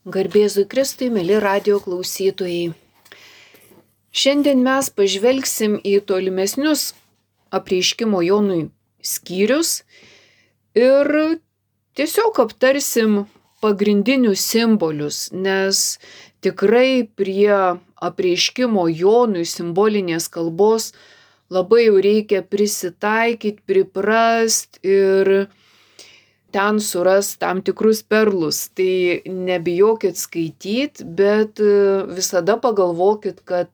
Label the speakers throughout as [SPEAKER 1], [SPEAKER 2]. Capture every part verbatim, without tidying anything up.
[SPEAKER 1] Garbėzui Kristui, mėly radijo klausytojai. Šiandien mes pažvelgsim į tolimesnius apreiškimo Jonui skyrius ir tiesiog aptarsim pagrindinius simbolius, nes tikrai prie apreiškimo Jonui simbolinės kalbos labai jau reikia prisitaikyti, priprast ir ten suras tam tikrus perlus. Tai nebijokit skaityti, bet visada pagalvokit, kad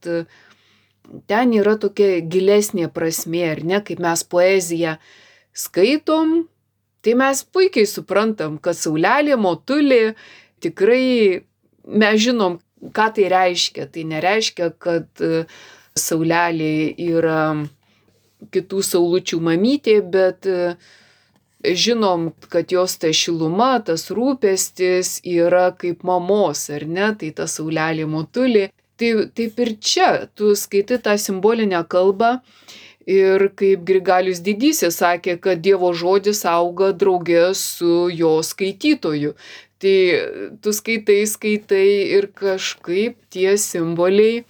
[SPEAKER 1] ten yra tokia gilesnė prasmė, ar ne, kaip mes poeziją skaitom, tai mes puikiai suprantam, kad saulelė, motulė, tikrai mes žinom, ką tai reiškia. Tai nereiškia, kad saulelė yra kitų saulučių mamytė, bet žinom, kad jos ta šiluma, tas rūpestis yra kaip mamos, ar ne, tai ta saulelė motulė. Tai taip ir čia, tu skaitai tą simbolinę kalbą ir kaip Grigalius Didysis sakė, kad Dievo žodis auga drauge su jo skaitytoju. Tai tu skaitai, skaitai ir kažkaip tie simboliai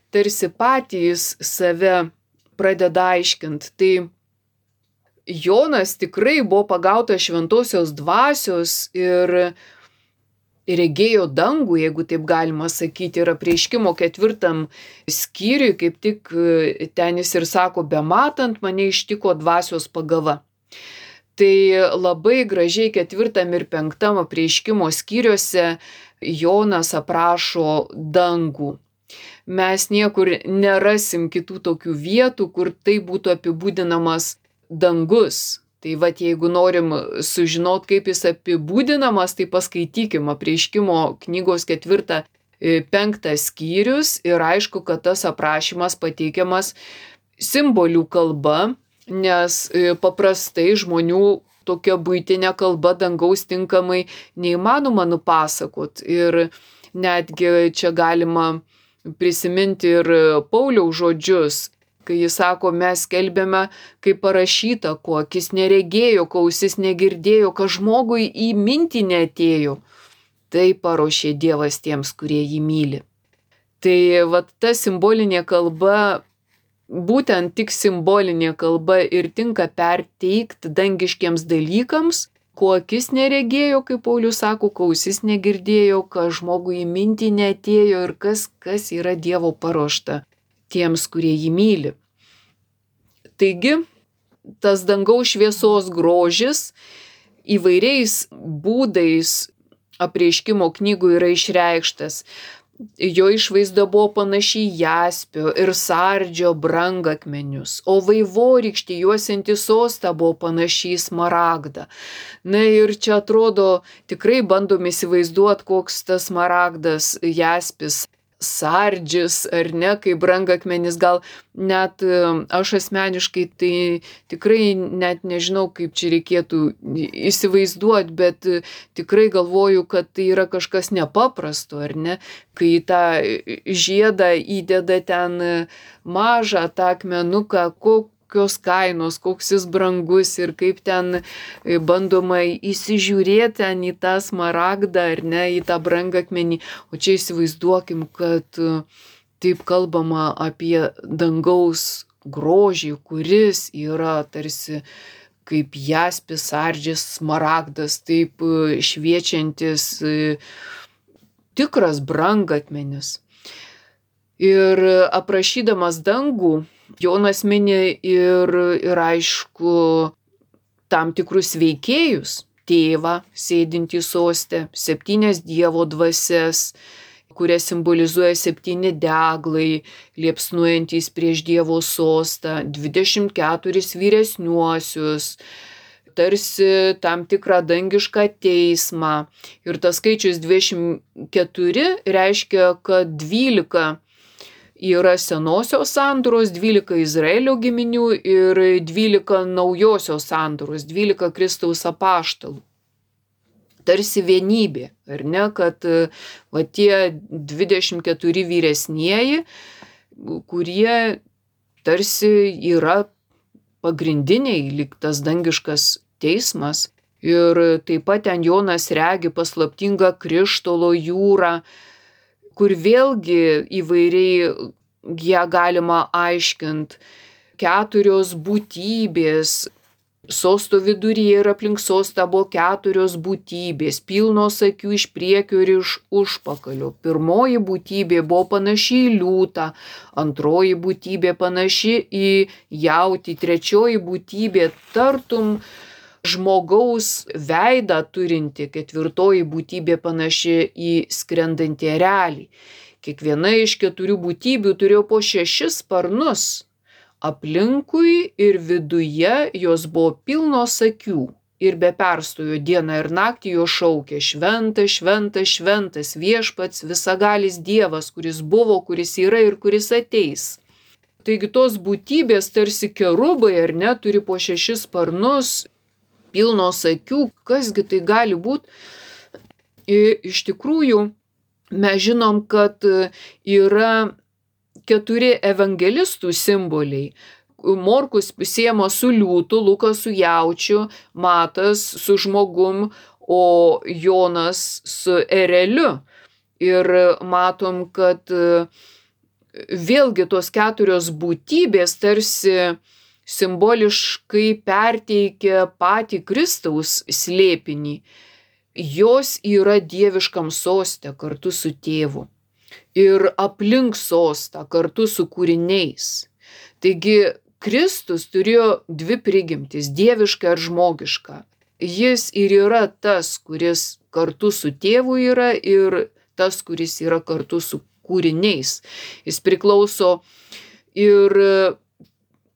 [SPEAKER 1] tarsi patys save pradeda aiškinti. Tai Jonas tikrai buvo pagautas šventosios dvasios ir regėjo dangų, jeigu taip galima sakyti, ir apreiškimo ketvirtam skyriui, kaip tik ten jis ir sako, bematant mane ištiko dvasios pagava. Tai labai gražiai ketvirtam ir penktam apreiškimo skyriuose Jonas aprašo dangų. Mes niekur nerasim kitų tokių vietų, kur tai būtų apibūdinamas dangus. Tai vat jeigu norim sužinot, kaip jis apibūdinamas, tai paskaitykim apreiškimo knygos ketvirtą, penktą skyrius ir aišku, kad tas aprašymas pateikiamas simbolių kalba, nes paprastai žmonių tokia buitinė kalba dangaus tinkamai neįmanoma nupasakot. Ir netgi čia galima prisiminti ir Pauliaus žodžius, kai jis sako, mes skelbėme, kaip parašyta, ko akis neregėjo, ko ausis negirdėjo, ką žmogui į mintį neatėjo. Tai paruošė Dievas tiems, kurie jį myli. Tai vat ta simbolinė kalba, būtent tik simbolinė kalba ir tinka perteikti dangiškiems dalykams, ko akis neregėjo, kaip Paulius sako, ko ausis negirdėjo, ką žmogui į mintį neatėjo ir kas, kas yra Dievo paruošta tiems, kurie jį myli. Taigi, tas dangaus šviesos grožis įvairiais būdais apreiškimo knygų yra išreikštas. Jo išvaizda buvo panaši į jaspio ir sardžio brangakmenius, o vaivorykštė juosianti sostą buvo panaši į smaragdą. Na ir čia atrodo, tikrai bandom įsivaizduoti, koks tas smaragdas, jaspis, sardžis, ar ne, kaip brangakmenis, gal net aš asmeniškai tai tikrai net nežinau, kaip čia reikėtų įsivaizduoti, bet tikrai galvoju, kad tai yra kažkas nepaprasto, ar ne, kai tą žiedą įdeda ten mažą tą akmenuką, kokios kainos, koks jis brangus ir kaip ten bandoma įsižiūrėti ten į tą smaragdą, ar ne, į tą brangakmenį. O čia įsivaizduokim, kad taip kalbama apie dangaus grožį, kuris yra tarsi kaip jaspis, sardžis, smaragdas, taip šviečiantis tikras brangakmenis. Ir aprašydamas dangų, Jonas mini ir, ir aišku tam tikrus veikėjus, tėvą sėdintį soste, septynias Dievo dvasias, kurias simbolizuoja septyni deglai, liepsnuojantys prieš Dievo sostą, dvidešimt keturis vyresniuosius, tarsi tam tikrą dangišką teismą. Ir tas skaičius dvidešimt keturi reiškia, kad dvylika yra senosios sandoros, dvylika Izraelio giminių ir dvylika naujosios sandoros, dvylika Kristaus apaštalų. Tarsi vienybė, ar ne, kad va tie dvidešimt keturi vyresnieji, kurie tarsi yra pagrindiniai, lyg tas dangiškas teismas, Ir taip pat ten Jonas regi paslaptingą krištolo jūrą, kur vėlgi įvairiai ją galima aiškinti. Keturios būtybės. Sosto viduryje ir aplink sostą buvo keturios būtybės, pilnos akių iš priekio ir iš užpakalio. Pirmoji būtybė buvo panaši į liūtą, antroji būtybė panaši į jautį, trečioji būtybė tartum žmogaus veidą turinti, ketvirtoji būtybė panaši į skrendantį erelį. Kiekviena iš keturių būtybių turėjo po šešis sparnus. Aplinkui ir viduje jos buvo pilnos akių ir be perstojo dieną ir naktį jo šaukė: šventas, šventas, šventas viešpats, visagalis Dievas, kuris buvo, kuris yra ir kuris ateis. Taigi tos būtybės tarsi kerubai, ar ne, turi po šešis sparnus, pilnos akių. Kasgi tai gali būti? Iš tikrųjų, mes žinom, kad yra keturi evangelistų simboliai. Morkus siejama su liūtu, Lukas su jaučiu, Matas su žmogum, o Jonas su ereliu. Ir matom, kad vėlgi tos keturios būtybės tarsi simboliškai perteikia patį Kristaus slėpinį. Jos yra dieviškam soste kartu su tėvu. Ir aplink sostą kartu su kūriniais. Taigi Kristus turėjo dvi prigimtis, dievišką ir žmogišką. Jis ir yra tas, kuris kartu su tėvu yra, ir tas, kuris yra kartu su kūriniais. Jis priklauso ir,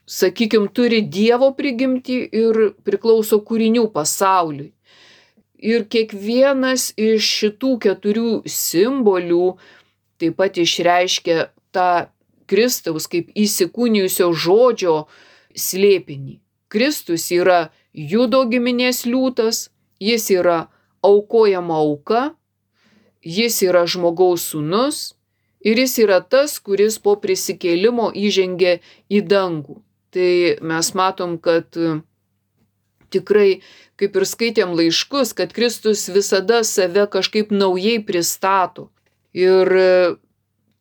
[SPEAKER 1] sakykime, turi Dievo prigimtį ir priklauso kūrinių pasauliui. Ir kiekvienas iš šitų keturių simbolių taip pat išreiškia tą Kristaus kaip įsikūnijusio žodžio slėpinį. Kristus yra Judo giminės liūtas, jis yra aukojama auka, jis yra žmogaus sūnus ir jis yra tas, kuris po prisikėlimo įžengė į dangų. Tai mes matom, kad tikrai, kaip ir skaitėm laiškus, kad Kristus visada save kažkaip naujai pristato. Ir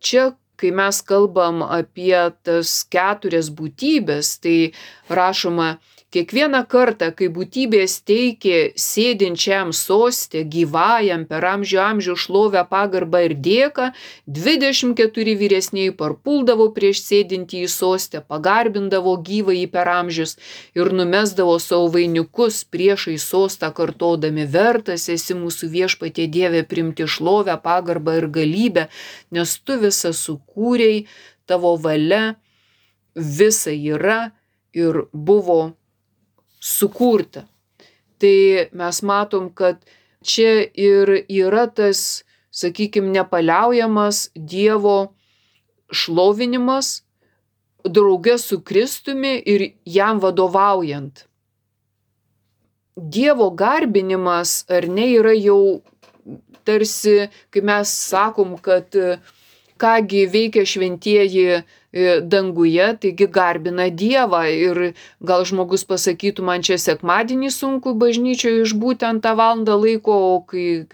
[SPEAKER 1] čia, kai mes kalbam apie tas keturias būtybės, tai rašoma: kiekvieną kartą, kai būtybės teikė sėdinčiam soste, gyvajam per amžių amžių šlovę, pagarbą ir dėką, dvidešimt keturi vyresnieji parpuldavo prieš sėdintį į sostę, pagarbindavo gyvąjį per amžius ir numesdavo savo vainikus priešai sostą, kartodami: vertas esi mūsų viešpatie Dieve priimti šlovę, pagarbą ir galybę, nes tu visą sukūrei, tavo valia visa yra ir buvo sukurta. Tai mes matom, kad čia ir yra tas, sakykime, nepaliaujamas Dievo šlovinimas drauge su Kristumi ir jam vadovaujant. Dievo garbinimas, ar ne, yra jau tarsi, kai mes sakom, kad kągi veikia šventieji danguje, taigi garbina Dievą. Ir gal žmogus pasakytų: man čia sekmadienį sunku bažnyčioje išbūti ant tą valandą laiko, o, kai,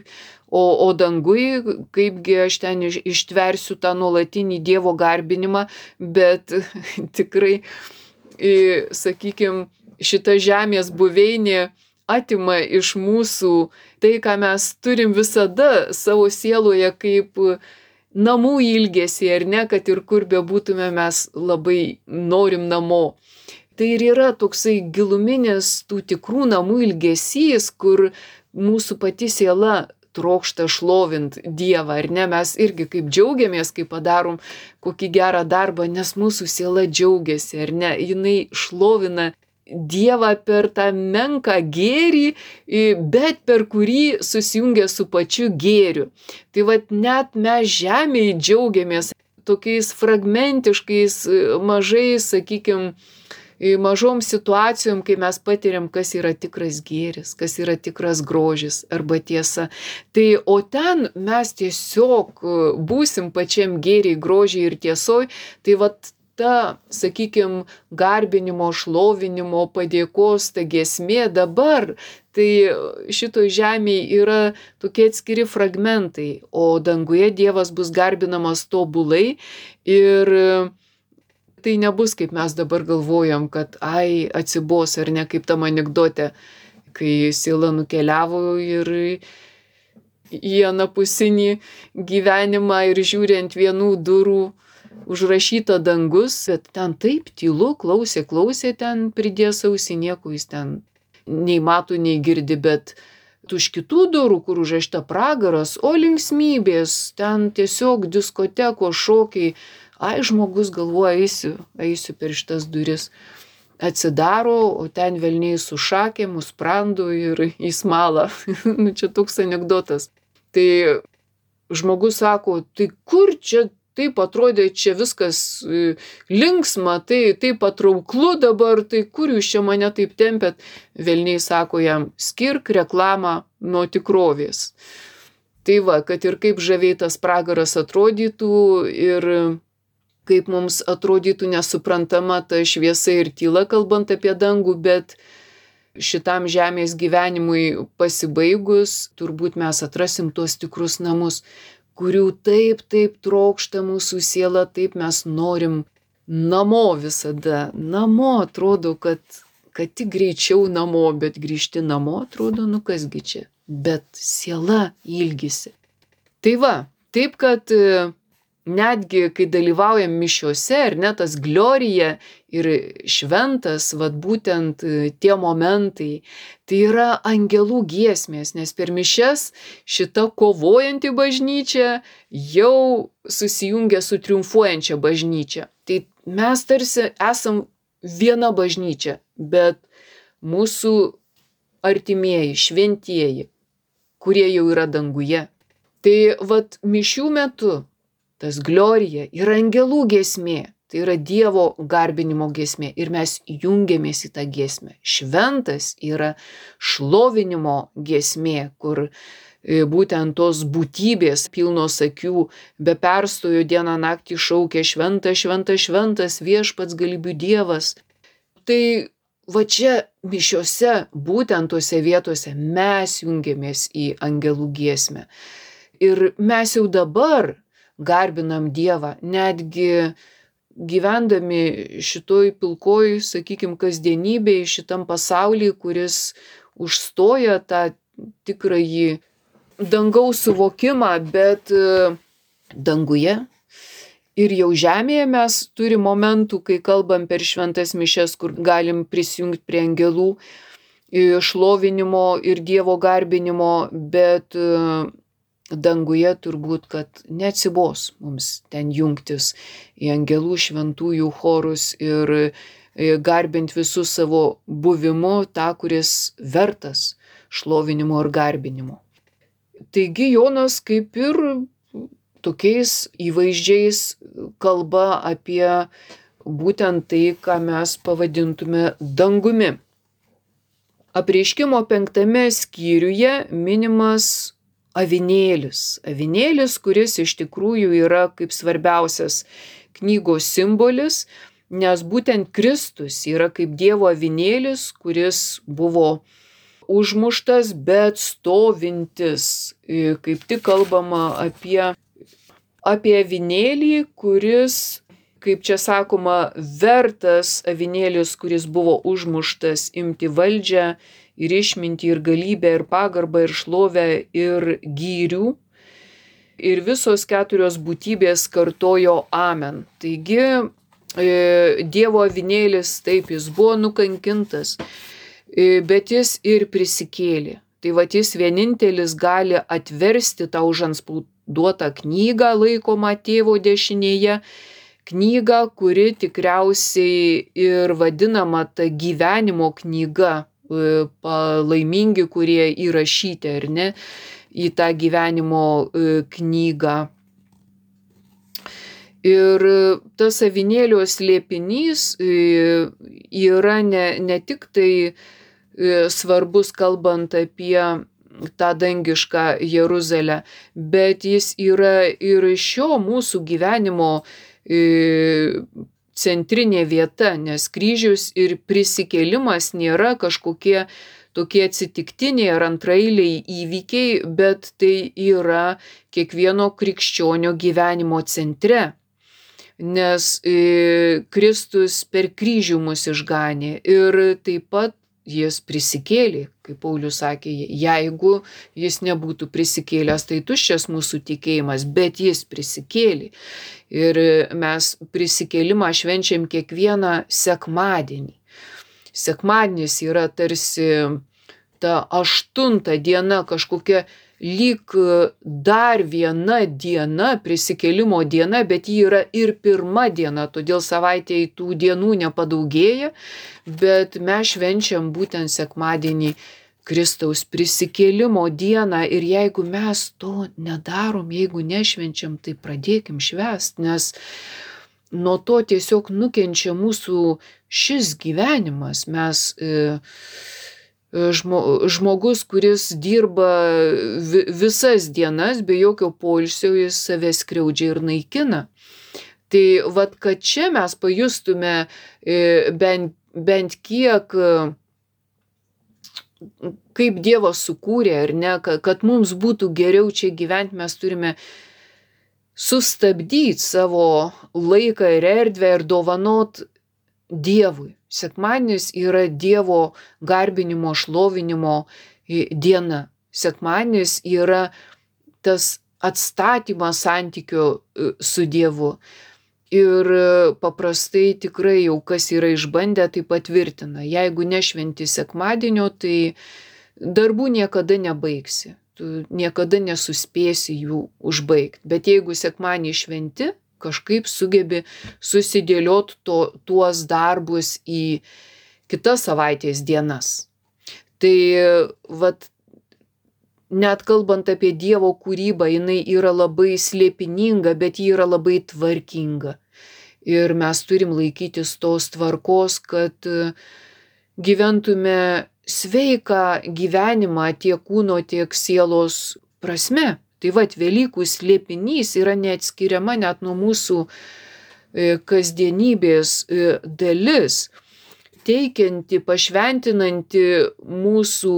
[SPEAKER 1] o, o dangui, kaipgi aš ten ištversiu tą nuolatinį Dievo garbinimą. Bet tikrai, sakykime, šita žemės buveinė atima iš mūsų tai, ką mes turim visada savo sieloje kaip namų ilgesį, ar ne, kad ir kur bebūtume, mes labai norim namo. Tai ir yra toksai giluminis tų tikrų namų ilgesys, kur mūsų pati siela trokšta šlovint Dievą, ar ne? Mes irgi kaip džiaugiamės, kai padarom kokį gerą darbą, nes mūsų siela džiaugiasi, ar ne? Jinai šlovina Dievą per tą menką gėrį, bet per kurį susijungia su pačiu gėriu. Tai vat net mes žemėje džiaugiamės tokiais fragmentiškais, mažais, sakykime, mažom situacijom, kai mes patiriam, kas yra tikras gėris, kas yra tikras grožis arba tiesa. Tai o ten mes tiesiog būsim pačiam gėriai, grožiai ir tiesoj. Tai vat ta, sakykime, garbinimo, šlovinimo, padėkos, ta giesmė dabar, tai šitoj žemėje yra tokie atskiri fragmentai, o danguje Dievas bus garbinamas tobulai ir tai nebus, kaip mes dabar galvojam, kad ai, atsibos ar ne, kaip tam anekdote, kai siela nukeliavo ir į anapusinį gyvenimą ir žiūri ant vienų durų užrašyta dangus, bet ten taip tylu, klausė, klausė, ten pridės ausį, nieko jis ten nei mato, nei girdi, bet už kitų durų, kur užrašyta pragaras, o linksmybės, ten tiesiog diskoteko šokiai, ai, žmogus galvoja, eisiu, eisiu per šitas duris. Atsidaro, o ten velniai su šakėm, sprandu ir į smalą. Nu, čia toks anekdotas. Tai žmogus sako, tai kur čia taip atrodė, čia viskas linksma, tai taip patrauklu dabar, tai kur jūs čia mane taip tempėt? Velniai sako jam, skirk reklamą nuo tikrovės. Tai va, kad ir kaip žaviai tas pragaras atrodytų ir kaip mums atrodytų nesuprantama ta šviesa ir tyla, kalbant apie dangų, bet šitam žemės gyvenimui pasibaigus, turbūt mes atrasim tuos tikrus namus, kurių taip, taip trokšta mūsų siela, taip mes norim namo visada. Namo atrodo, kad, kad tik greičiau namo, bet grįžti namo atrodo, nu kasgi čia, bet siela ilgisi. Tai va, taip kad netgi, kai dalyvaujam mišiose, ar ne, tas glorija ir šventas, vat būtent tie momentai, tai yra angelų giesmės, nes per mišias šita kovojanti bažnyčia jau susijungia su triumfuojančia bažnyčia. Tai mes tarsi esam viena bažnyčia, bet mūsų artimieji, šventieji, kurie jau yra danguje. Tai vat mišių metu tas glorija yra angelų giesmė, tai yra Dievo garbinimo giesmė ir mes jungiamės į tą giesmę. Šventas yra šlovinimo giesmė, kur būtent tos būtybės pilnos akių be perstojo dieną naktį šaukia šventas, šventas, šventas viešpats galybių Dievas. Tai va čia mišiose, būtent tose vietose mes jungiamės į angelų giesmę. Ir mes jau dabar garbinam Dievą, netgi gyvendami šitoj pilkoj, sakykim, kasdienybėj, šitam pasauly, kuris užstoja tą tikrąjį dangaus suvokimą, bet danguje ir jau žemėje mes turim momentų, kai kalbam per šventas mišias, kur galim prisijungti prie angelų šlovinimo ir Dievo garbinimo, bet danguje turbūt, kad neatsibos mums ten jungtis į angelų šventųjų chorus ir garbint visu savo buvimu tą, kuris vertas šlovinimo ir garbinimo. Taigi Jonas kaip ir tokiais įvaizdžiais kalba apie būtent tai, ką mes pavadintume dangumi. Apreiškimo penktame skyriuje minimas avinėlis. Avinėlis, kuris iš tikrųjų yra kaip svarbiausias knygos simbolis, nes būtent Kristus yra kaip Dievo avinėlis, kuris buvo užmuštas, bet stovintis. Kaip tik kalbama apie, apie avinėlį, kuris, kaip čia sakoma, vertas avinėlis, kuris buvo užmuštas, imti valdžią ir išmintį, ir galybę, ir pagarbą, ir šlovę, ir gyrių. Ir visos keturios būtybės kartojo amen. Taigi, e, Dievo avinėlis, taip, jis buvo nukankintas, e, bet jis ir prisikėlė. Tai va, jis vienintelis gali atversti tą užantspauduotą knygą, laikomą tėvo dešinėje, knygą, kuri tikriausiai ir vadinama ta gyvenimo knyga, palaimingi, kurie įrašyti, ar ne, į tą gyvenimo knygą. Ir tas avinėlio slėpinys yra ne, ne tik tai svarbus, kalbant apie tą dangišką Jeruzalę, bet jis yra ir šio mūsų gyvenimo centrinė vieta, nes kryžius ir prisikėlimas nėra kažkokie tokie atsitiktiniai ar antraeiliai įvykiai, bet tai yra kiekvieno krikščionio gyvenimo centre. Nes e, Kristus per kryžių mus išganė ir taip pat jis prisikėlė, kaip Paulius sakė, jeigu jis nebūtų prisikėlęs, tai tuščias mūsų tikėjimas, bet jis prisikėlė. Ir mes prisikėlimą švenčiam kiekvieną sekmadienį. Sekmadienis yra tarsi ta aštunta diena, kažkokia lyg dar viena diena, prisikėlimo diena, bet ji yra ir pirma diena, todėl savaitėje tų dienų nepadaugėja, bet mes švenčiam būtent sekmadienį Kristaus prisikėlimo dieną ir jeigu mes to nedarom, jeigu nešvenčiam, tai pradėkim švęst, nes nuo to tiesiog nukenčia mūsų šis gyvenimas. Mes e, žmogus, kuris dirba visas dienas be jokio poilsio, jis save skriaudžia ir naikina. Tai vat, kad čia mes pajustume bent, bent kiek, kaip Dievas sukūrė, ar ne, kad mums būtų geriau čia gyventi, mes turime sustabdyti savo laiką ir erdvę ir dovanot Dievui. Sekmadienis yra Dievo garbinimo, šlovinimo diena. Sekmadienis yra tas atstatymas santykio su Dievu. Ir paprastai tikrai jau kas yra išbandę, tai patvirtina. Jeigu nešventi sekmadienio, tai darbų niekada nebaigsi. Tu niekada nesuspėsi jų užbaigti. Bet jeigu sekmadienį šventi, kažkaip sugebi susidėliot to, tuos darbus į kitas savaitės dienas. Tai vat, net kalbant apie Dievo kūrybą, jinai yra labai slėpininga, bet ji yra labai tvarkinga. Ir mes turim laikytis tos tvarkos, kad gyventume sveiką gyvenimą tiek kūno, tiek sielos prasme. Tai vat, Velykų slėpinys yra neatskiriama net nuo mūsų kasdienybės dalis, teikianti, pašventinanti mūsų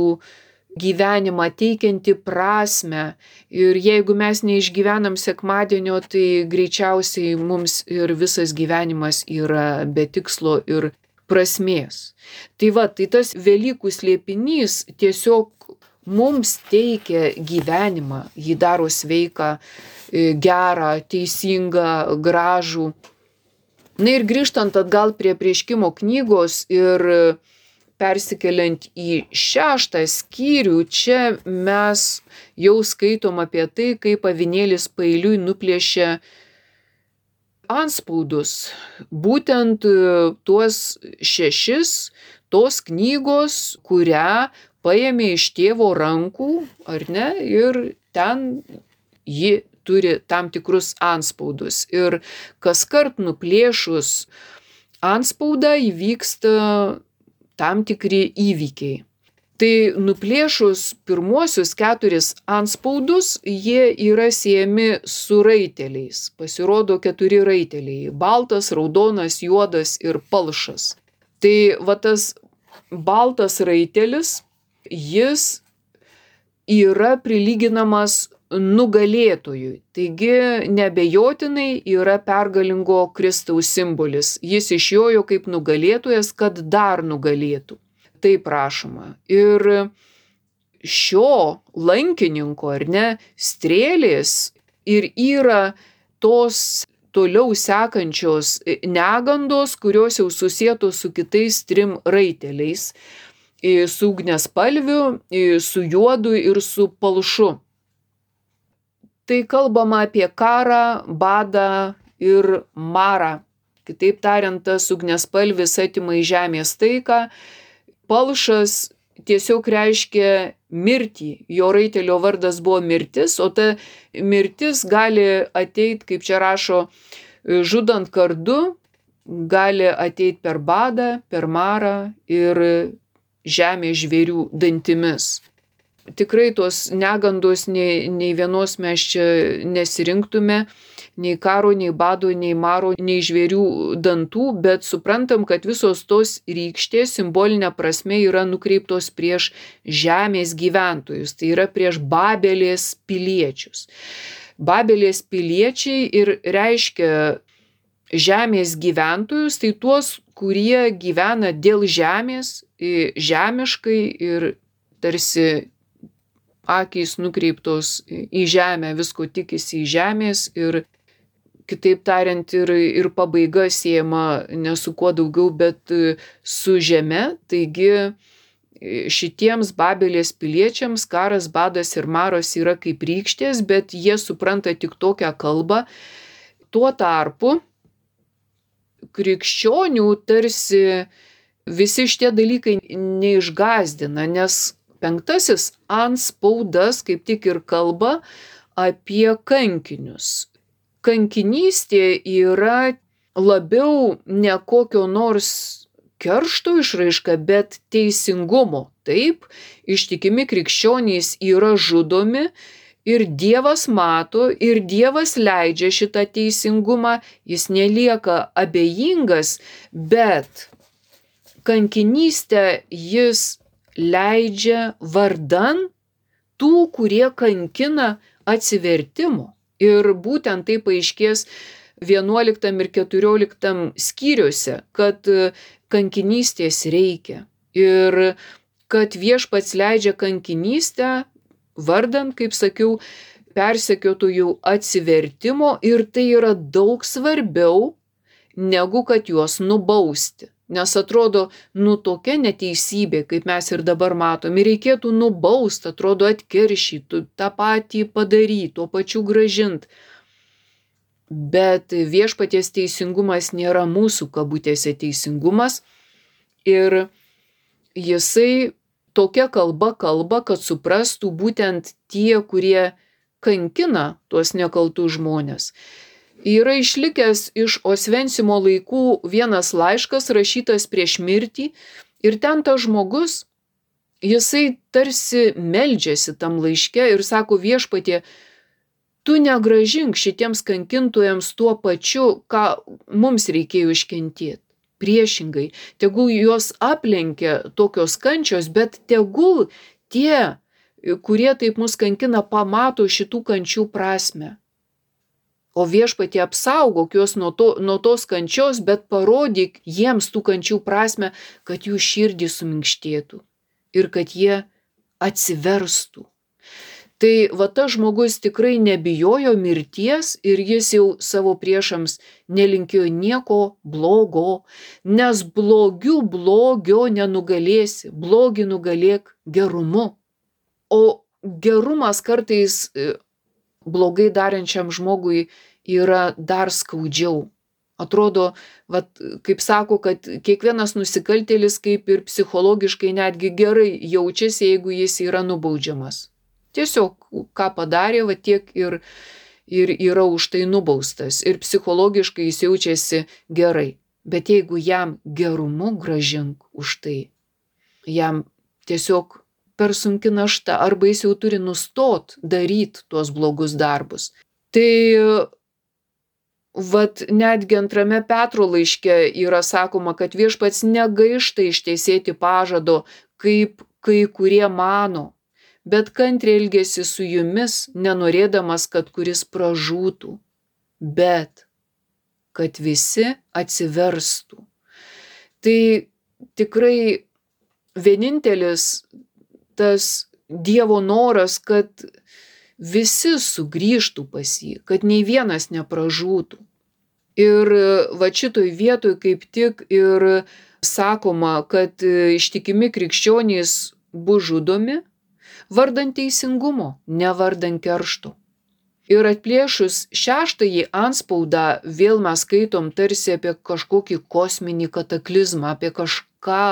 [SPEAKER 1] gyvenimą, teikianti prasmę. Ir jeigu mes neišgyvenam sekmadienio, tai greičiausiai mums ir visas gyvenimas yra be tikslo ir prasmės. Tai va, tai tas Velykų slėpinys tiesiog mums teikia gyvenimą, jį daro sveiką, gerą, teisingą, gražų. Na ir grįžtant atgal prie Apreiškimo knygos ir persikeliant į šeštą skyrių, čia mes jau skaitom apie tai, kaip avinėlis paeiliui nuplėšė anspaudus. Būtent tuos šešis, tos knygos, kurią paėmė iš tėvo rankų, ar ne, ir ten ji turi tam tikrus anspaudus. Ir kaskart nuplėšus anspaudą įvyksta tam tikri įvykiai. Tai nuplėšus pirmuosius keturis anspaudus, jie yra siejami su raiteliais. Pasirodo keturi raiteliai – baltas, raudonas, juodas ir palšas. Tai va tas baltas raitelis, jis yra prilyginamas nugalėtojui. Taigi neabejotinai yra pergalingo Kristaus simbolis. Jis išjojo kaip nugalėtojas, kad dar nugalėtų. Taip rašoma. Ir šio lankininko, ar ne, strėlės ir yra tos toliau sekančios negandos, kurios jau susietos su kitais trim raiteliais. Su ugniaspalviu, su juodu ir su palšu. Tai kalbama apie karą, badą ir marą. Kitaip tariant, tas ugniaspalvis atima iš žemės taiką, palšas tiesiog reiškia mirtį. Jo raitelio vardas buvo mirtis, o ta mirtis gali ateit, kaip čia rašo, žudant kardu, gali ateit per badą, per marą ir žemės žvėrių dantimis. Tikrai tos negandos nei, nei vienos mes čia nesirinktume, nei karo, nei bado, nei maro, nei žvėrių dantų, bet suprantam, kad visos tos rykštės simbolinė prasme yra nukreiptos prieš žemės gyventojus, tai yra prieš Babelės piliečius. Babelės piliečiai ir reiškia žemės gyventojus, tai tuos, kurie gyvena dėl žemės, žemiškai ir tarsi akys nukreiptos į žemę, visko tikisi į žemės ir, kitaip tariant, ir, ir pabaiga siejama ne su kuo daugiau, bet su žeme. Taigi šitiems Babelės piliečiams karas, badas ir maras yra kaip rykštės, bet jie supranta tik tokią kalbą. Tuo tarpu krikščionių tarsi visi šitie dalykai neišgąsdina, nes penktasis antspaudas kaip tik ir kalba apie kankinius. Kankinystė yra labiau ne kokio nors keršto išraiška, bet teisingumo. Taip, ištikimi krikščionys yra žudomi ir Dievas mato ir Dievas leidžia šitą teisingumą, jis nelieka abejingas, bet kankinystę jis leidžia vardan tų, kurie kankina atsivertimo. Ir būtent tai paaiškės vienuoliktam ir keturioliktam skyriuose, kad kankinystės reikia ir kad Viešpats leidžia kankinystę vardan, kaip sakiau, persekiotojų atsivertimo ir tai yra daug svarbiau negu kad juos nubausti. Nes atrodo, nu tokia neteisybė, kaip mes ir dabar matom, ir reikėtų nubaust, atrodo atkeršytų, tą patį padaryti, tuo pačiu gražint. Bet Viešpaties teisingumas nėra mūsų kabutėse teisingumas ir jisai tokia kalba kalba, kad suprastų būtent tie, kurie kankina tuos nekaltus žmones. Yra išlikęs iš Osvencimo laikų vienas laiškas rašytas prieš mirtį ir ten tas žmogus, jisai tarsi meldžiasi tam laiške ir sako: Viešpatie, tu negražink šitiems kankintojams tuo pačiu, ką mums reikėjo iškentėti. Priešingai, tegul juos aplenkia tokios kančios, bet tegul tie, kurie taip mus kankina, pamato šitų kančių prasme. O Viešpatie, apsaugok juos nuo, to, nuo tos kančios, bet parodyk jiems tų kančių prasme, kad jų širdį suminkštėtų ir kad jie atsiverstų. Tai va tas žmogus tikrai nebijojo mirties ir jis jau savo priešams nelinkėjo nieko blogo, nes blogiu blogio nenugalėsi, blogį nugalėk gerumu. O gerumas kartais blogai darančiam žmogui yra dar skaudžiau. Atrodo, vat, kaip sako, kad kiekvienas nusikaltėlis kaip ir psichologiškai netgi gerai jaučiasi, jeigu jis yra nubaudžiamas. Tiesiog, ką padarė, va tiek ir, ir yra už tai nubaustas. Ir psichologiškai jis jaučiasi gerai. Bet jeigu jam gerumu gražink už tai, jam tiesiog per sunki našta, arba jis jau turi nustot daryti tuos blogus darbus. Tai vat netgi antrame Petro laiške yra sakoma, kad Viešpats negaišta ištesėti pažado, kaip kai kurie mano, bet kantriai elgiasi su jumis, nenorėdamas, kad kuris pražūtų, bet kad visi atsiverstų. Tai tikrai vienintelis tas Dievo noras, kad visi sugrįžtų pas jį, kad nei vienas nepražūtų. Ir va šitoj vietoj kaip tik ir sakoma, kad ištikimi krikščionys bus žudomi vardan teisingumo, ne vardan keršto. Ir atplėšus šeštąjį antspaudą vėl mes skaitom tarsi apie kažkokį kosminį kataklizmą, apie kažką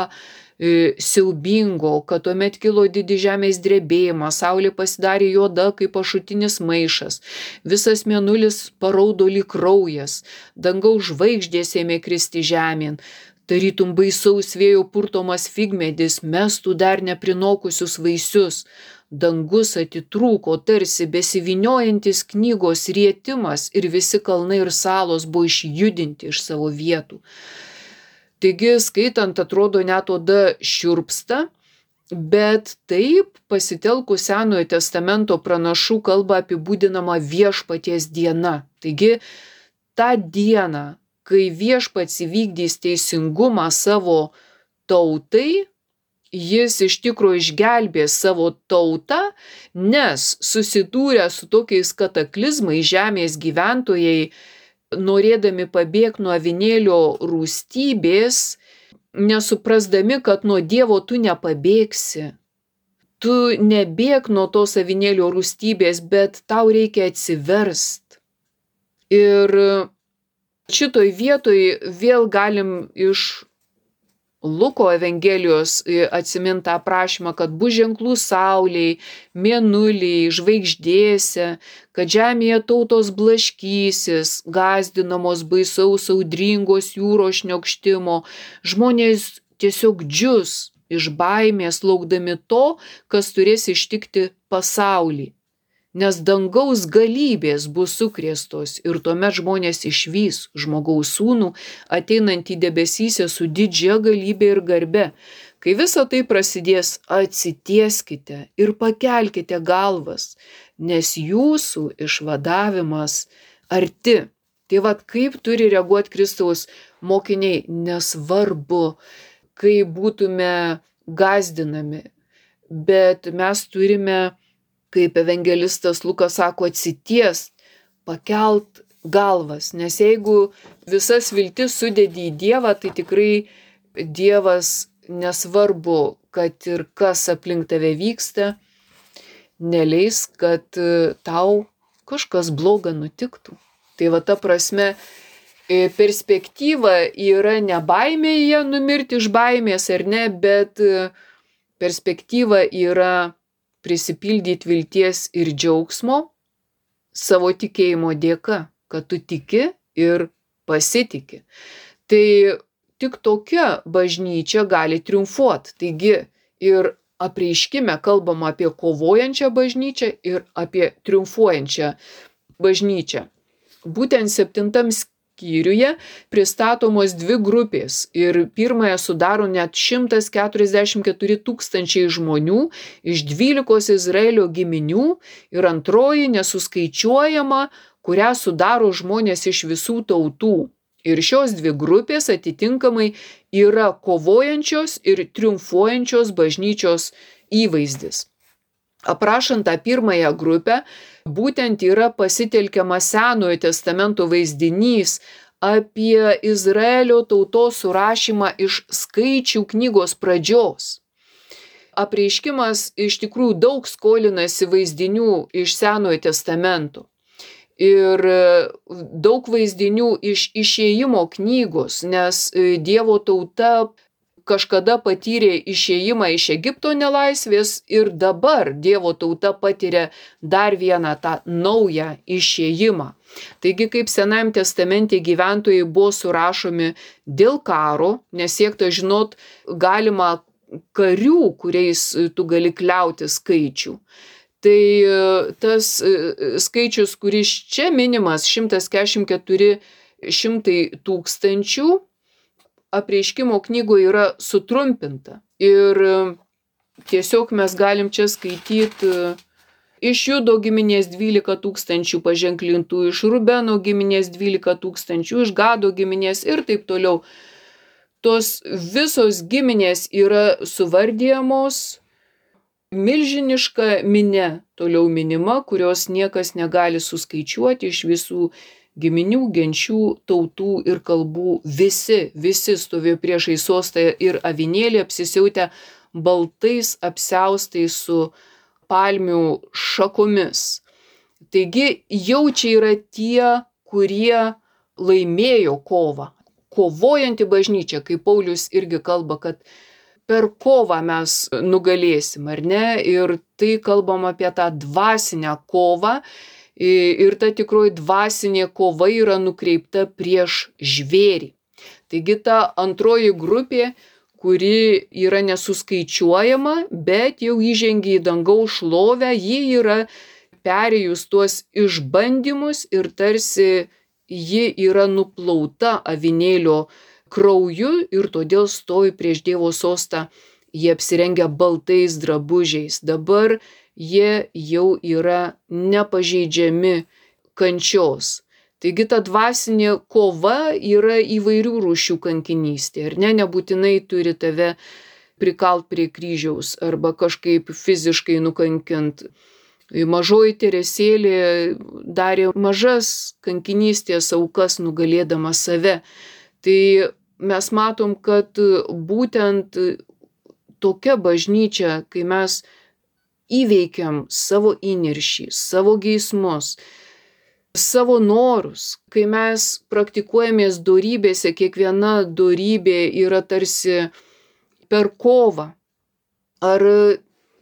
[SPEAKER 1] siaubingo, kad tuomet kilo didis žemės drebėjimas, saulė pasidarė juoda kaip ašutinis maišas, visas mėnulis paraudo lyg kraujas, dangaus žvaigždės ėmė kristi žemėn, tarytum baisaus vėjo purtomas figmedis mestų dar neprinokusius vaisius, dangus atitrūko, tarsi besivyniojantis knygos rietimas ir visi kalnai ir salos buvo išjudinti iš savo vietų. Taigi, skaitant, atrodo net oda šiurpsta, bet taip pasitelkus Senojo testamento pranašų kalbą apibūdinama viešpaties diena. Taigi, tą dieną, kai viešpats įvykdys teisingumą savo tautai, jis iš tikrųjų išgelbės savo tautą, nes susidūrę su tokiais kataklizmais žemės gyventojai, norėdami pabėgti nuo avinėlio rūstybės, nesuprasdami, kad nuo Dievo tu nepabėgsi. Tu nebėg nuo tos avinėlio rūstybės, bet tau reikia atsiverst. Ir šitoj vietoj vėl galim iš Luko Evangelijos atsiminti tą aprašymą, kad bus ženklų saulei, mėnuliai, žvaigždėse, kad žemėje tautos blaškysis, gąsdinamos baisaus audringos jūros šniokštimo, žmonės tiesiog džius iš baimės laukdami to, kas turės ištikti pasaulį. Nes dangaus galybės bus sukrėstos ir tuomet žmonės išvys žmogaus sūnų ateinantį debesyse su didžia galybė ir garbe. Kai visa tai prasidės, atsitieskite ir pakelkite galvas, nes jūsų išvadavimas arti. Tai vat kaip turi reaguoti Kristaus mokiniai, nesvarbu, kai būtume gąsdinami, bet mes turime, kaip evangelistas Lukas sako, atsitiest, pakelt galvas, nes jeigu visas viltis sudedi į Dievą, tai tikrai Dievas, nesvarbu, kad ir kas aplink tave vyksta, neleis, kad tau kažkas bloga nutiktų. Tai va ta prasme, perspektyva yra ne baimėje numirti iš baimės ar ne, bet perspektyva yra prisipildyti vilties ir džiaugsmo savo tikėjimo dėka, kad tu tiki ir pasitiki. Tai tik tokia bažnyčia gali triumfuoti. Taigi ir apreiškime kalbama apie kovojančią bažnyčią ir apie triumfuojančią bažnyčią. Būtent septintam skyriuje pristatomos dvi grupės ir pirmąją sudaro net šimtas keturiasdešimt keturi tūkstančiai žmonių iš dvylikos Izraelio giminių ir antroji nesuskaičiuojama, kurią sudaro žmonės iš visų tautų. Ir šios dvi grupės atitinkamai yra kovojančios ir triumfuojančios bažnyčios įvaizdis. Aprašant tą pirmąją grupę, būtent yra pasitelkiamas Senojo testamento vaizdinys apie Izraelio tautos surašymą iš skaičių knygos pradžios. Apreiškimas iš tikrųjų daug skolinasi vaizdinių iš Senojo testamento. Ir daug vaizdinių iš Išėjimo knygos, nes Dievo tauta kažkada patyrė išėjimą iš Egipto nelaisvės ir dabar Dievo tauta patiria dar vieną tą naują išėjimą. Taigi, kaip Senajam testamente gyventojai buvo surašomi dėl karo, nes siekta žinot galima karių, kuriais tu gali kliauti skaičių. Tai tas skaičius, kuris čia minimas, šimtas keturiasdešimt keturi šimtai tūkstančių, apreiškimo knygoje yra sutrumpinta. Ir tiesiog mes galim čia skaityti iš Judo giminės dvylika tūkstančių paženklintų, iš Rubeno giminės dvylika tūkstančių, iš Gado giminės ir taip toliau. Tos visos giminės yra suvardijamos, milžiniška minia toliau minima, kurios niekas negali suskaičiuoti iš visų giminių, genčių, tautų ir kalbų. Visi, visi stovėjo priešais sostą ir avinėlį apsisiautę baltais apsiaustais su palmių šakomis. Taigi jau čia yra tie, kurie laimėjo kovą. Kovojanti bažnyčia, kaip Paulius irgi kalba, kad per kovą mes nugalėsim, ar ne? Ir tai kalbam apie tą dvasinę kovą. Ir ta tikroji dvasinė kova yra nukreipta prieš žvėrį. Taigi ta antroji grupė, kuri yra nesuskaičiuojama, bet jau įžengia į dangaus šlovę, ji yra perėjus tuos išbandymus ir tarsi ji yra nuplauta avinėlio krauju ir todėl stovi prieš Dievo sostą. Jie apsirengia baltais drabužiais. Dabar jie jau yra nepažeidžiami kančios. Taigi ta dvasinė kova yra įvairių rūšių kankinystė. Ir ne, nebūtinai turi tave prikalt prie kryžiaus arba kažkaip fiziškai nukankint. Mažoji Teresėlė darė mažas kankinystės aukas nugalėdama save. Tai mes matom, kad būtent tokia bažnyčia, kai mes įveikiam savo įniršį, savo geismus, savo norus, kai mes praktikuojamės dorybėse, kiekviena dorybė yra tarsi per kovą. Ar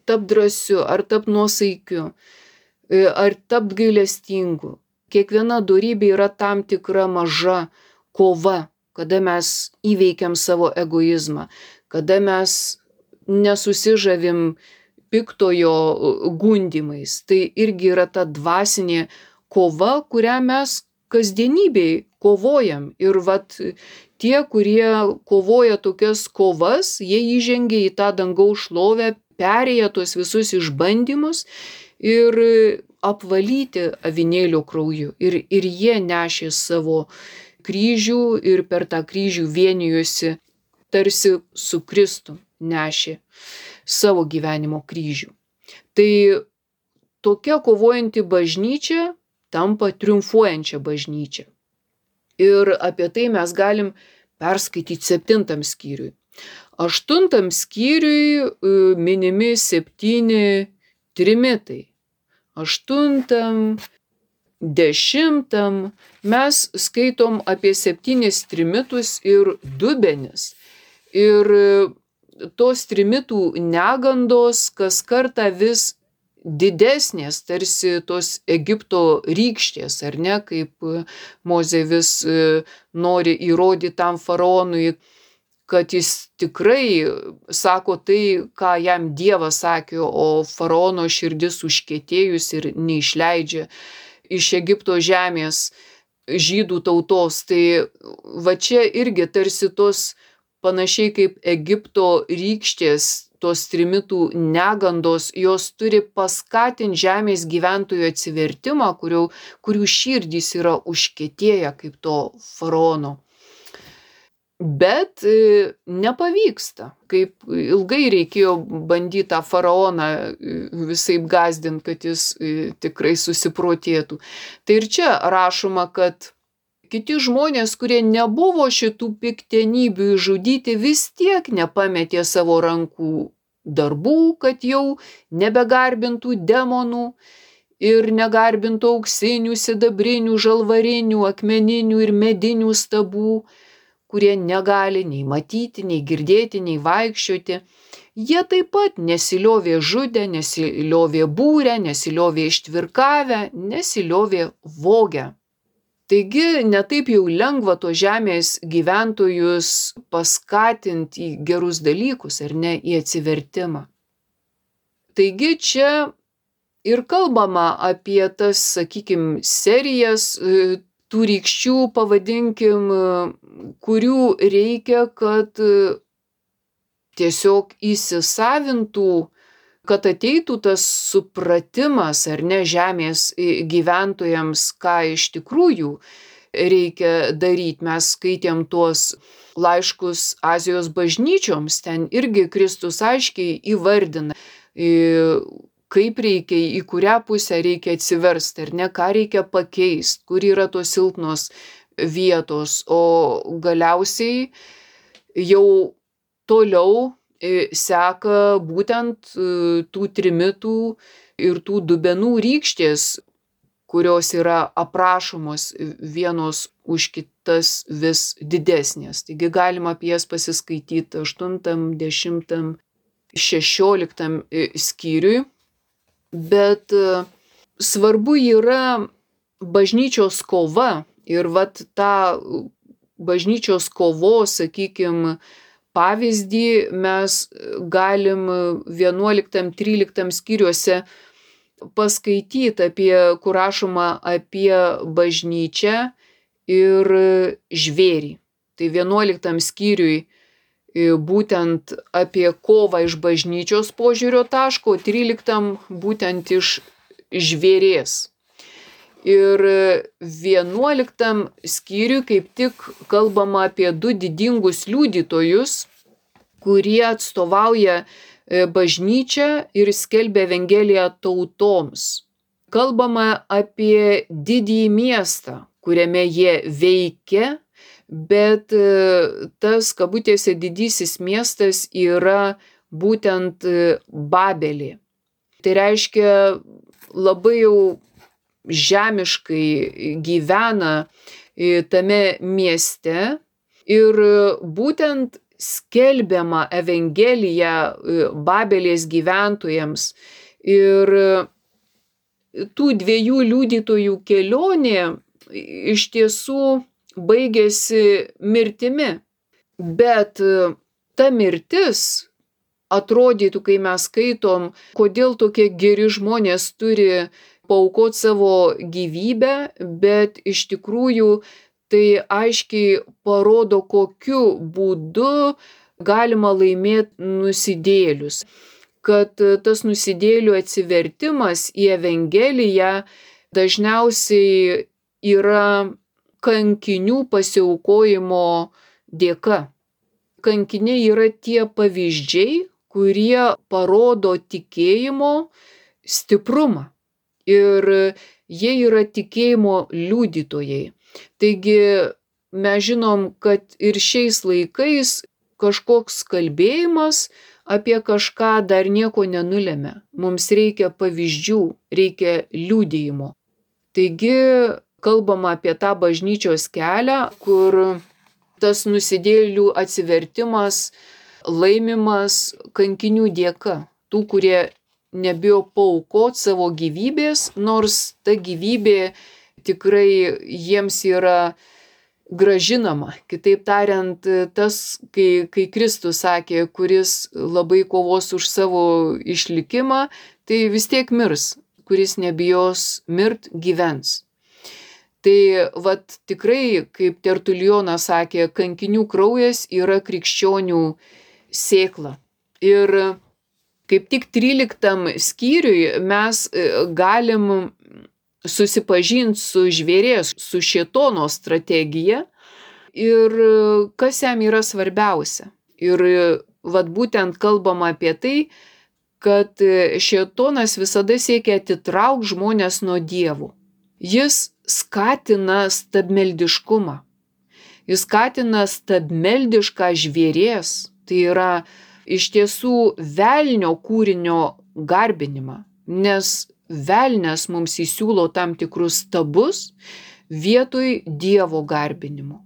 [SPEAKER 1] tapt drąsiu, ar tapt nuosaikiu, ar tapt gailestingu. Kiekviena dorybė yra tam tikra maža kova, kada mes įveikiam savo egoizmą, kada mes nesusižavim piktojo gundymais. Tai irgi yra ta dvasinė kova, kurią mes kasdienybėj kovojam. Ir vat tie, kurie kovoja tokias kovas, jie įžengia į tą dangaus šlovę, perėję tuos visus išbandymus ir apvalyti avinėlio krauju. Ir, ir jie nešė savo kryžių ir per tą kryžių vienijosi tarsi su Kristum nešė savo gyvenimo kryžių. Tai tokia kovojanti bažnyčia tampa triumfuojančia bažnyčia. Ir apie tai mes galim perskaityti septintam skyriui. Aštuntam skyriui minimi septyni trimitai. Aštuntam, dešimtam mes skaitom apie septynis trimitus ir dubenis. Ir tos trimitų negandos kas kartą vis didesnės, tarsi tos Egipto rykštės, ar ne, kaip Mozė vis nori įrodyti tam faraonui, kad jis tikrai sako tai, ką jam Dievas sakė, o faraono širdis užkietėjus ir neišleidžia iš Egipto žemės žydų tautos. Tai va čia irgi tarsi tos panašiai kaip Egipto rykštės, tos trimitų negandos, jos turi paskatinti žemės gyventojų atsivertimą, kurių, kurių širdys yra užkietėję kaip to faraono. Bet nepavyksta, kaip ilgai reikėjo bandyti tą faraoną visaip gąsdinti, kad jis tikrai susiprotėtų. Tai ir čia rašoma, kad kiti žmonės, kurie nebuvo šitų piktenybių išžudyti, vis tiek nepametė savo rankų darbų, kad jau nebegarbintų demonų ir negarbintų auksinių, sidabrinių, žalvarinių, akmeninių ir medinių stabų, kurie negali nei matyti, nei girdėti, nei vaikščioti. Jie taip pat nesiliovė žudę, nesiliovė būrę, nesiliovė ištvirkavę, nesiliovė vogę. Taigi netaip jau lengva to žemės gyventojus paskatinti į gerus dalykus, ar ne, į atsivertimą. Taigi čia ir kalbama apie tas, sakykim, serijas tų rykščių, pavadinkim, kurių reikia, kad tiesiog įsisavintų, kad ateitų tas supratimas, ar ne, žemės gyventojams, ką iš tikrųjų reikia daryti. Mes skaitėm tuos laiškus Azijos bažnyčioms, ten irgi Kristus aiškiai įvardina, kaip reikia, į kurią pusę reikia atsiversti, ar ne, ką reikia pakeisti, kur yra tos silpnos vietos, o galiausiai jau toliau seka būtent tų trimitų ir tų dubenų rykštės, kurios yra aprašomos vienos už kitas vis didesnės. Taigi galima apie jas pasiskaityti aštuntam, dešimtam, šešioliktam skyriui. Bet svarbu yra bažnyčios kova ir vat tą bažnyčios kovos, sakykim, pavyzdį mes galim vienuoliktam tryliktam skyriuose paskaityti apie, kur rašoma apie bažnyčią ir žvėrį. Tai vienuoliktam skyriui būtent apie kovą iš bažnyčios požiūrio taško, tryliktam būtent iš žvėrės. Ir vienuoliktam skyriui kaip tik kalbama apie du didingus liudytojus, kurie atstovauja bažnyčią ir skelbia Evangeliją tautoms. Kalbama apie didįjį miestą, kuriame jie veikia, bet tas kabutėse didysis miestas yra būtent Babelė. Tai reiškia labai jau žemiškai gyvena tame mieste ir būtent skelbiama Evangelija Babelės gyventojams. Ir tų dviejų liudytojų kelionė iš tiesų baigėsi mirtimi. Bet ta mirtis atrodytų, kai mes skaitom, kodėl tokie geri žmonės turi paaukoti savo gyvybę, bet iš tikrųjų tai aiškiai parodo, kokiu būdu galima laimėti nusidėjėlius. Kad tas nusidėjėlių atsivertimas į Evangeliją dažniausiai yra kankinių pasiaukojimo dėka. Kankiniai yra tie pavyzdžiai, kurie parodo tikėjimo stiprumą. Ir jie yra tikėjimo liudytojai. Taigi mes žinom, kad ir šiais laikais kažkoks kalbėjimas apie kažką dar nieko nenulemia. Mums reikia pavyzdžių, reikia liudijimo. Taigi kalbama apie tą bažnyčios kelią, kur tas nusidėjėlių atsivertimas laimimas kankinių dėka. Tų, kurie nebijo paaukoti savo gyvybės, nors ta gyvybė tikrai jiems yra gražinama. Kitaip tariant, tas, kai, kai Kristus sakė, kuris labai kovos už savo išlikimą, tai vis tiek mirs, kuris nebijos mirt, gyvens. Tai vat tikrai, kaip Tertulijonas sakė, kankinių kraujas yra krikščionių sėkla. Ir kaip tik tryliktam skyriui mes galim susipažinti su žvėrės, su šėtono strategija ir kas jam yra svarbiausia. Ir vat būtent kalbama apie tai, kad šėtonas visada siekia atitraukti žmones nuo Dievo. Jis skatina stabmeldiškumą. Jis skatina stabmeldišką žvėrės, tai yra iš tiesų velnio kūrinio garbinimą, nes velnias mums įsiūlo tam tikrus stabus vietoj Dievo garbinimo.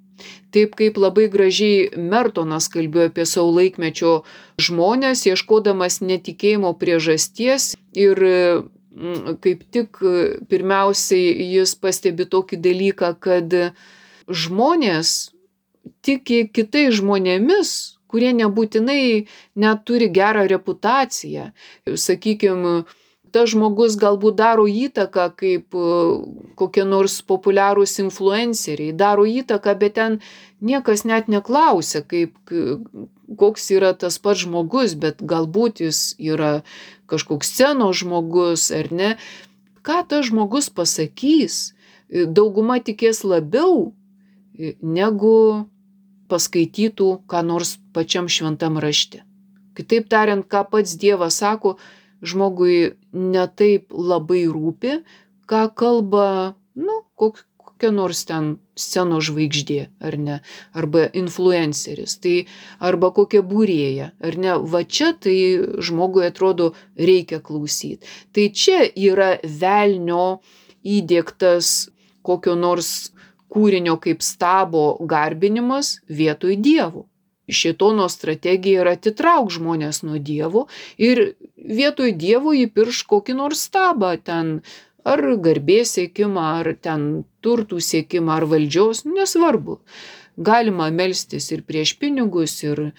[SPEAKER 1] Taip kaip labai gražiai Mertonas kalbėjo apie savo laikmečio žmonės, ieškodamas netikėjimo priežasties ir kaip tik pirmiausiai jis pastebi tokį dalyką, kad žmonės tiki kitais žmonėmis, kurie nebūtinai net turi gerą reputaciją. Sakykime, tas žmogus galbūt daro įtaką kaip kokie nors populiarūs influenceriai, daro įtaką, bet ten niekas net neklausia, kaip, koks yra tas pats žmogus, bet galbūt jis yra kažkoks scenos žmogus ar ne. Ką tas žmogus pasakys, dauguma tikės labiau, negu paskaitytų ką nors pačiam šventam rašte. Kitaip tariant, ką pats Dievas sako, žmogui netaip labai rūpi, ką kalba, nu, kok, kokia nors ten scenos žvaigždė, ar ne, arba influenceris, tai arba kokia būrėja, ar ne, va čia tai žmogui atrodo reikia klausyti. Tai čia yra velnio įdiegtas kokio nors kūrinio kaip stabo garbinimas vietoj Dievo. Šėtono strategija yra atitrauk žmonės nuo Dievo ir vietoj Dievo įpirš kokį nors stabą ten, ar garbės siekimą, ar ten turtų siekimą, ar valdžios, nesvarbu. Galima melstis ir prieš pinigus, ir,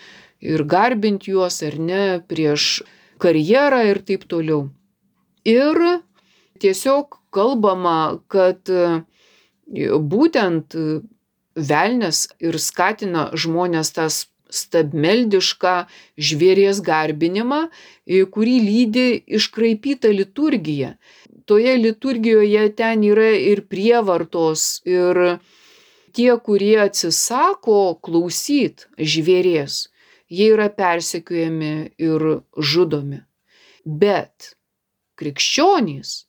[SPEAKER 1] ir garbinti juos ar ne prieš karjerą ir taip toliau. Ir tiesiog kalbama, kad būtent velnias ir skatina žmonės tas stabmeldišką žvėries garbinimą, kurį lydi iškraipyta liturgija. Toje liturgijoje ten yra ir prievartos, ir tie, kurie atsisako klausyt žvėries, jie yra persekiojami ir žudomi. Bet krikščionys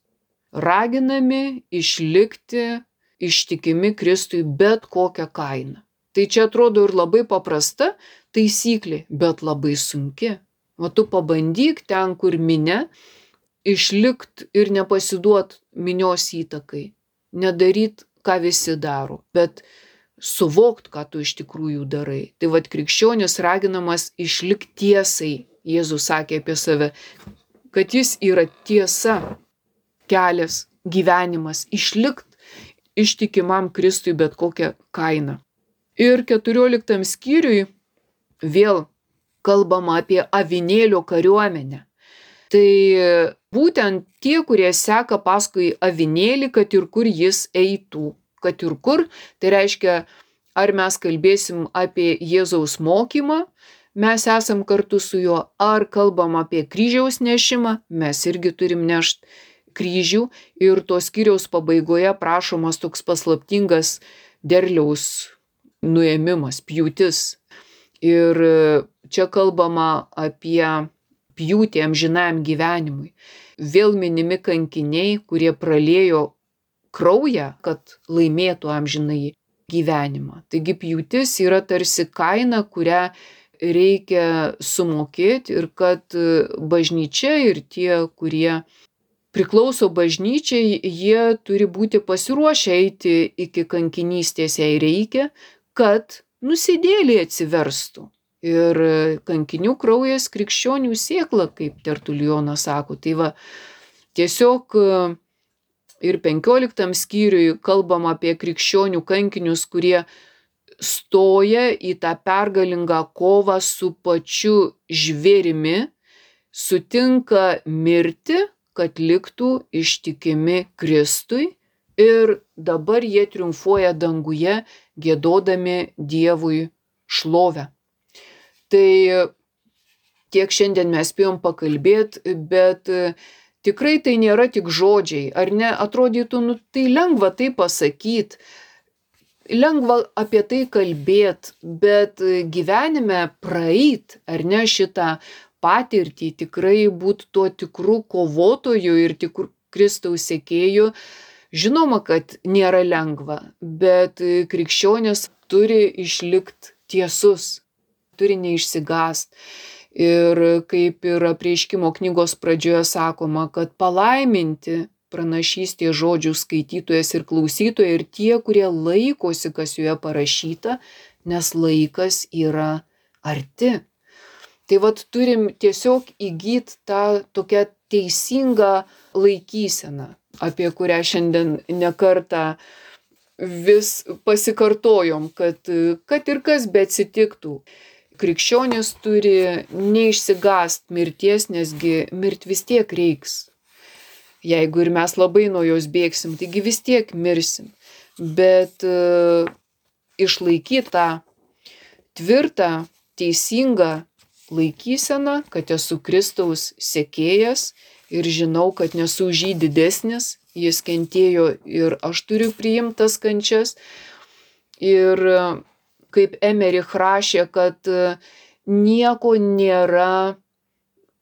[SPEAKER 1] raginami išlikti ištikimi Kristui bet kokią kainą. Tai čia atrodo ir labai paprasta taisyklė, bet labai sunki. O tu pabandyk ten, kur minia, išlikt ir nepasiduot minios įtakai. Nedaryt, ką visi daro, bet suvokt, ką tu iš tikrųjų darai. Tai vat krikščionis raginamas išlikt tiesai. Jėzus sakė apie save, kad jis yra tiesa, kelias, gyvenimas, išlikt ištikimam Kristui bet kokią kainą. Ir keturioliktam skyriui vėl kalbama apie avinėlio kariuomenę. Tai būtent tie, kurie seka paskui avinėlį, kad ir kur jis eitų. Kad ir kur, tai reiškia, ar mes kalbėsim apie Jėzaus mokymą, mes esam kartu su juo, ar kalbam apie kryžiaus nešimą, mes irgi turim nešt kryžių. Ir to skyriaus pabaigoje prašomas toks paslaptingas derliaus nuėmimas, pjūtis. Ir čia kalbama apie pjūtį amžinajam gyvenimui. Vėl minimi kankiniai, kurie praliejo kraują, kad laimėtų amžinąjį gyvenimą. Taigi pjūtis yra tarsi kaina, kurią reikia sumokėti, ir kad bažnyčia ir tie, kurie priklauso bažnyčiai, jie turi būti pasiruošę eiti iki kankinystės, jei reikia, kad nusidėliai atsiverstų. Ir kankinių kraujas krikščionių sėkla, kaip Tertulijonas sako. Tai va, tiesiog ir penkioliktam skyriui kalbam apie krikščionių kankinius, kurie stoja į tą pergalingą kovą su pačiu žvėrimi, sutinka mirti, kad liktų ištikimi Kristui, ir dabar jie triumfuoja danguje, giedodami Dievui šlovę. Tai tiek šiandien mes spėjom pakalbėti, bet tikrai tai nėra tik žodžiai, ar ne? Atrodytų, nu tai lengva tai pasakyti, lengva apie tai kalbėti, bet gyvenime praeit, ar ne, šitą patirtį, tikrai būt tuo tikru kovotoju ir tikru Kristaus sekėju, žinoma, kad nėra lengva, bet krikščionis turi išlikt tiesus, turi neišsigąst. Ir kaip ir Apreiškimo knygos pradžioje sakoma, kad palaiminti pranašystės žodžių skaitytojas ir klausytoja ir tie, kurie laikosi, kas joje parašyta, nes laikas yra arti. Tai vat turim tiesiog įgyti tą tokią teisingą laikyseną, apie kurią šiandien nekartą vis pasikartojom, kad, kad ir kas beatsitiktų. Krikščionis turi neišsigąst mirties, nesgi mirt vis tiek reiks. Jeigu ir mes labai nuo jos bėgsim, taigi vis tiek mirsim. Bet uh, išlaikyti tą tvirtą, teisingą laikyseną, kad esu Kristaus sekėjas ir žinau, kad nesu už jį didesnis, jis kentėjo ir aš turiu priimti tas kančias. Ir kaip Emerich rašė, kad nieko nėra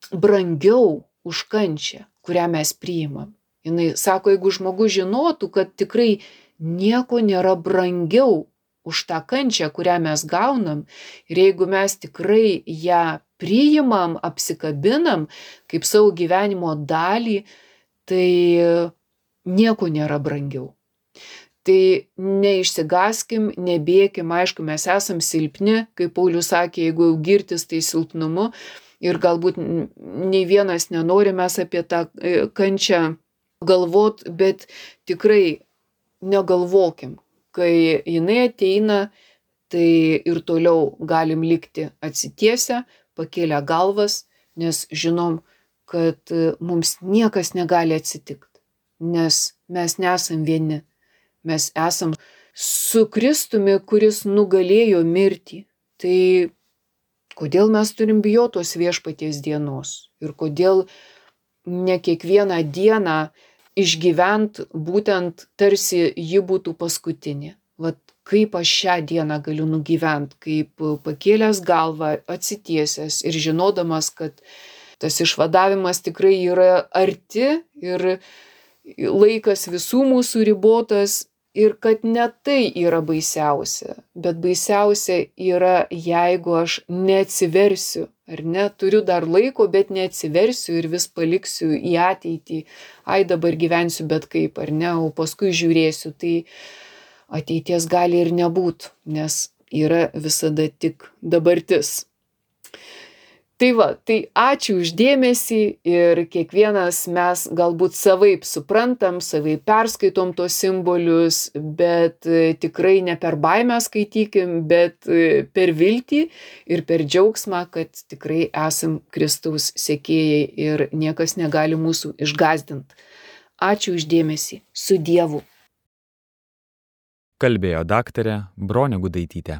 [SPEAKER 1] brangiau už kančią, kurią mes priimam. Jis sako, jeigu žmogus žinotų, kad tikrai nieko nėra brangiau už tą kančią, kurią mes gaunam, ir jeigu mes tikrai ją priimam, apsikabinam kaip savo gyvenimo dalį, tai nieko nėra brangiau. Tai neišsigaskim, nebėkim, aišku, mes esam silpni, kaip Paulius sakė, jeigu jau girtis, tai silpnumu, ir galbūt nei vienas nenori mes apie tą kančią galvot, bet tikrai negalvokim, kai jinai ateina, tai ir toliau galim likti atsitiesę, pakėlę galvas, nes žinom, kad mums niekas negali atsitikti, nes mes nesam vieni. Mes esam su Kristumi, kuris nugalėjo mirtį. Tai kodėl mes turim bijoti tos viešpaties dienos? Ir kodėl ne kiekvieną dieną išgyvent būtent tarsi ji būtų paskutinė? Vat kaip aš šią dieną galiu nugyvent, kaip pakėlęs galvą, atsitiesęs ir žinodamas, kad tas išvadavimas tikrai yra arti ir laikas visų mūsų ribotas ir kad ne tai yra baisiausia, bet baisiausia yra, jeigu aš neatsiversiu, ar ne, turiu dar laiko, bet neatsiversiu ir vis paliksiu į ateitį, ai dabar gyvensiu bet kaip, ar ne, o paskui žiūrėsiu, tai ateities gali ir nebūt, nes yra visada tik dabartis. Tai va, tai ačiū už dėmesį ir kiekvienas mes galbūt savaip suprantam, savaip perskaitom tos simbolius, bet tikrai ne per baimę skaitykim, bet per viltį ir per džiaugsmą, kad tikrai esam Kristaus sekėjai ir niekas negali mūsų išgąsdint. Ačiū už dėmesį. Su Dievu.
[SPEAKER 2] Kalbėjo daktarė Bronė Gudaitytė.